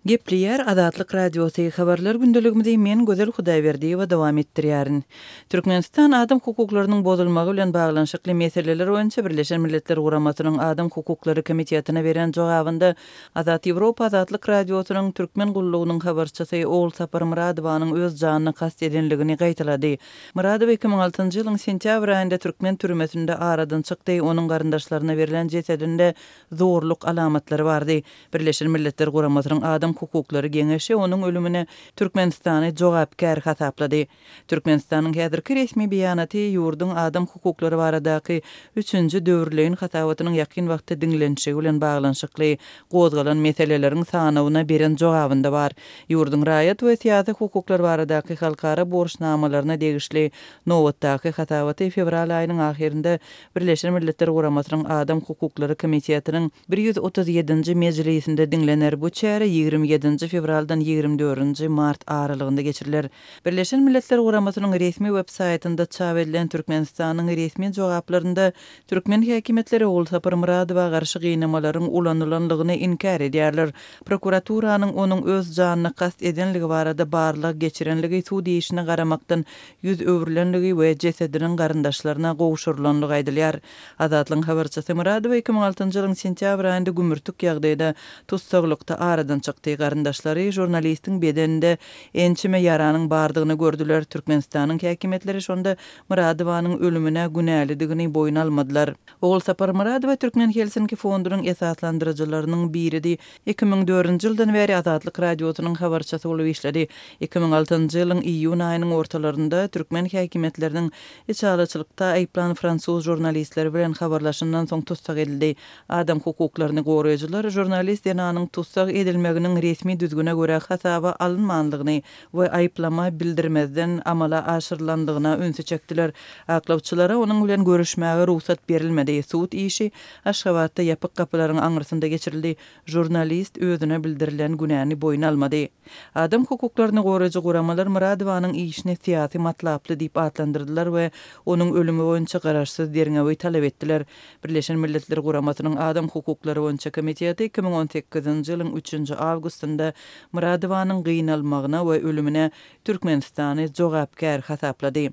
Gepleýär Azatlyk Radiosy, Habarlar gündeligimizi men Gözel Hudaýberdiýewa dowam etdirýärin. Türkmenistan adam hukuklarynyň bozulmagy bilen baglanyşykly meseleler boýunça Birleşen Milletler Guramasynyň Adam hukuklary komitetine beren jogabynda Azat Ýewropa Azatlyk Radiosynyň Türkmen gullugynyň habarçysy Ogulsapar Myradowanyň öz janyna kast edenligini gaýtalady. Myradowa 2006-njy ýylyň sentýabr aýynda türkmen türmesinde aradan çykdy, onuň garyndaşlaryna berlen jesedinde zorluk alamatlary bardy. Birleşen Milletler Guramasynyň Adam hukuklary geňeşi onuň ölümine Türkmenistany jogapkär hasaplady. Türkmenistanyň häzirki resmi beýanaty ýurduň adam hukuklary baradaky üçünji döwürleýin hasabatynyň ýakyn wagtda diňlenişigi bilen baglanyşykly gozgalan meseleleriň sanawyna beren jogabynda bar. Ýurduň raýat we syýasy hukuklar baradaky halkara borçnamalaryna degişli nobatdaky hasabaty fewral aýynyň ahyrynda Birleşen Milletler Guramasynyň Adam hukuklary komitetiniň 137-nji mejlisinde diňlener. Bu çäre 27-nji fewraldan 24-nji mart aralygynda geçiriler. Birleşen Milletler Guramasynyň resmi web saýtynda çap edilen Türkmenistanyň resmi jogaplarynda türkmen häkimiýetleri Ogulsapar Myradowa garşy gynamalaryň ulanylanlygyny inkär edýärler. Prokuraturanyň onuň öz janyna kast edenligi barada barlag geçirenligi sud işine garamakdan ýüz öwrülenligi we jesediniň garyndaşlaryna gowşurylanlygy aýdylýar. Azatlygyň habarçysy Myradowa 2006-njy ýylyň sentýabr aýynda gümürtik ýagdaýda tussaglykda aradan çykdy. Garyndaşlary žurnalistiň bedeninde ençeme ýaranyň bardygyny gördüler. Türkmenistanyň häkimiýetleri şonda Myradowanyň ölümine günälidigini boýun almadylar. Ogulsapar Myradowa Türkmen Helsinki fondunyň esaslandyryjylarynyň biridi. 2004-nji ýyldan bäri Azatlyk Radiosynyň habarçysy bolup işledi. 2006-njy ýylyň iýun aýynyň ortalarynda türkmen häkimiýetleriniň içalyçylykda aýyplan fransuz žurnalistleri bilen habarlaşandan soň tussag edildi. Adam hukuklaryny goraýjylar žurnalist zenanyň tussag edilmeginiň resmi düzgüne görä hasaba alynmanlygyny we aýyplama bildirmezden amala aşyrylanlygyna ünsi çekdiler. Aklawçylara onuň bilen görüşmäge rugsat berilmedi. Sud işi Aşgabatda ýapyk gapylaryň aňyrsynda geçirildi. Žurnalist özüne bildirilen günäni boýun almady. Adam hukuklaryny goraýjy guramalar Myradowanyň işini syýasy matlaply diýip atlandyrdylar we onuň ölümi boýunça garaşsyz derňewi talap etdiler. Birleşen Milletler Guramasynyň Adam hukuklary boýunça komiteti 2018-nji ýylyň üçünji awgustynda Myradowanyň gynalmagyna we ölümine Türkmenistany jogapkär hasaplady.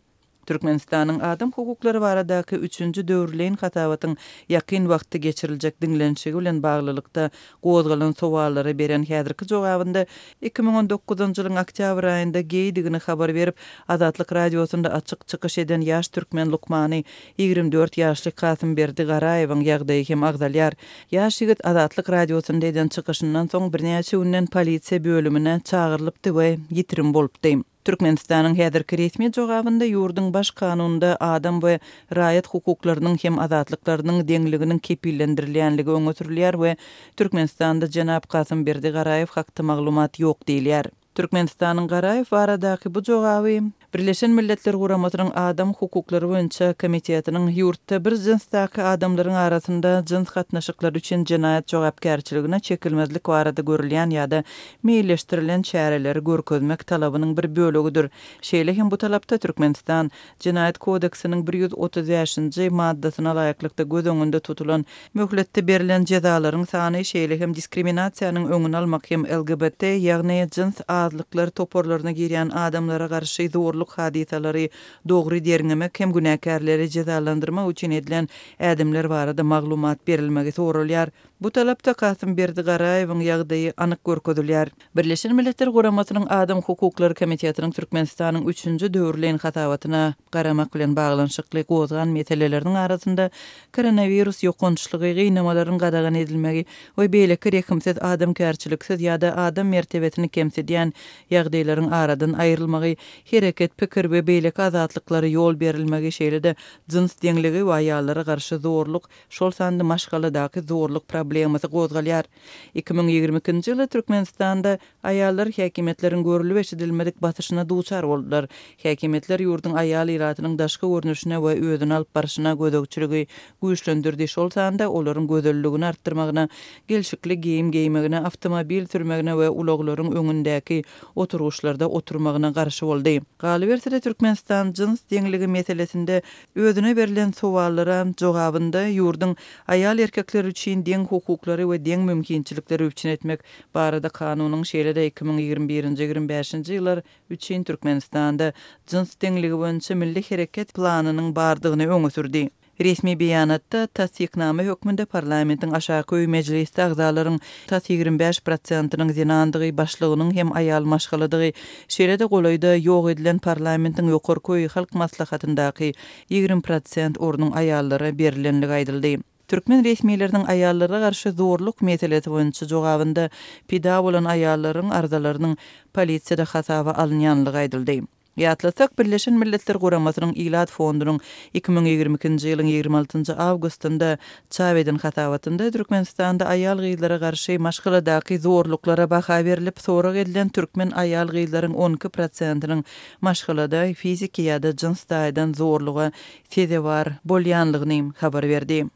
Türkmenistanyň adam hukuklary baradaky üçünji döwürleýin hasabatyň ýakyn wagtda geçiriljek diňlenişigi bilen baglylykda gozgalan sowallara beren häzirki jogabynda 2019-njy ýylyň oktýabr aýynda geýdigini habar berip, Azatlyk Radiosynda açyk çykyş eden ýaş türkmen lukmany, 24 ýaşly Kasymberdi Garaýewiň ýagdaýy hem agzalýar. Ýaş ýigit Azatlyk Radiosynda eden çykyşyndan soň birnäçe günden polisiýa bölümine çagyrylypdy we ýitirim bolupdy. Türkmenistanyň häzirki resmi jogabynda ýurduň Baş kanunynda adam we raýat hukuklarynyň hem azatlyklarynyň deňliginiň kepillendirilýänligi öňe sürülýär we Türkmenistanda jenap Kasymberdi Garaýew hakda maglumat ýok diýilýär. Türkmenistanyň Garaýew baradaky bu jogaby Birleşen Milletler Guramasynyň Adam hukuklary boýunça komitetiniň ýurtda bir jynsdaky adamlaryň arasynda jyns gatnaşyklary üçin jenaýat jogapkärçiligine çekilmezlik barada görülýän ýa-da meýilleşdirilen çäreleri görkezmek talabynyň bir bölegidir. Şeýle hem bu talapda Türkmenistan Jenaýat kodeksiniň 135-nji maddasyna laýyklykda göz öňünde tutulan möhletde berlen jezalaryň sany, şeýle hem diskriminasiýanyň öňüni almak hem LGBT, ýagny jyns azlyklar toparlaryna girýän adamlara garşy zorluk hadysalary dogry derňemek hem günäkärleri jezalandyrmak üçin edilen ädimler barada maglumat berilmegi soralýar. Bu talapda Kasymberdi Garaýewiň ýagdaýy anyk görkezilýär. Birleşen Milletler Guramasynyň Adam hukuklary komitetiniň Türkmenistanyň üçünji döwürleýin hasabatyna garamak bilen baglanyşykly gozgan meseleleriniň arasynda koronawirus ýokançlygy, gynamalaryň gadagan edilmegi we beýleki rehimsiz, adamkärçiliksiz ýa-da adam mertebesini kemsidýän ýagdaýlaryň aradan aýrylmagy, hereket, pikir we beýleki azatlyklara ýol berilmegi, şeýle-de jyns deňligi we aýallara garşy zorluk, şol sanda maşgaladaky zorluk problemasy gozgalýar. 2022-nji ýylda Türkmenistanda aýallar häkimiýetleriň görlüp-eşidilmedik basyşyna duçar boldular. Häkimiýetler ýurduň aýal ilatynyň daşky görnüşine we özüni alyp barşyna gözegçiligi güýçlendirdi, şol sanda olaryň gözelligini artdyrmagyna, gelşikli geýim geýmegine, awtomobil sürmegine we ulaglaryň öňündäki oturgyçlarda oturmagyna garşy boldy. Galyberse-de, Türkmenistan jyns deňligi meselesinde Özüne berlen sowallara jogabynda ýurduň aýal-erkekler üçin deň. hukuklary we deň mümkinçilikleri üpjün etmek barada kanunyň, şeýle-de 2021-nji, 25-nji ýyllar üçin Türkmenistanda jyns deňligi boýunça milli hereket planynyň bardygyny öňe sürdi. Resmi beýanatda tassyknama hökmünde parlamentiň aşaky öýi Mejlisde agzalaryň tas 25 prosentiniň zenandygy, başlygynyň hem aýal maşgaladygy, şeýle-de golaýda ýok edilen parlamentiň ýokarky öýi Halk Maslahatyndaky 20 prosent ornuň aýallara berilenligi aýdyldy. Türkmen resmileriniň aýallara garşy zorluk meselesi boýunça jogabynda pida bolan aýallaryň arzalarynyň polisiýada hasaba alynýanlygy aýdyldy. Ýatlasak, Birleşen Milletler Guramasynyň Ilat fondunyň 2022-nji ýylyň 26 njy awgustynda çap eden hasabatynda Türkmenistanda aýal-gyzlara garşy maşgaladaky zorluklara baha berlip, sorag edilen türkmen aýal-gyzlaryň 12 prosentiniň maşgalada fiziki ýa-da jyns taýdan zorluga sezewar bolýanlygyny habar berdi.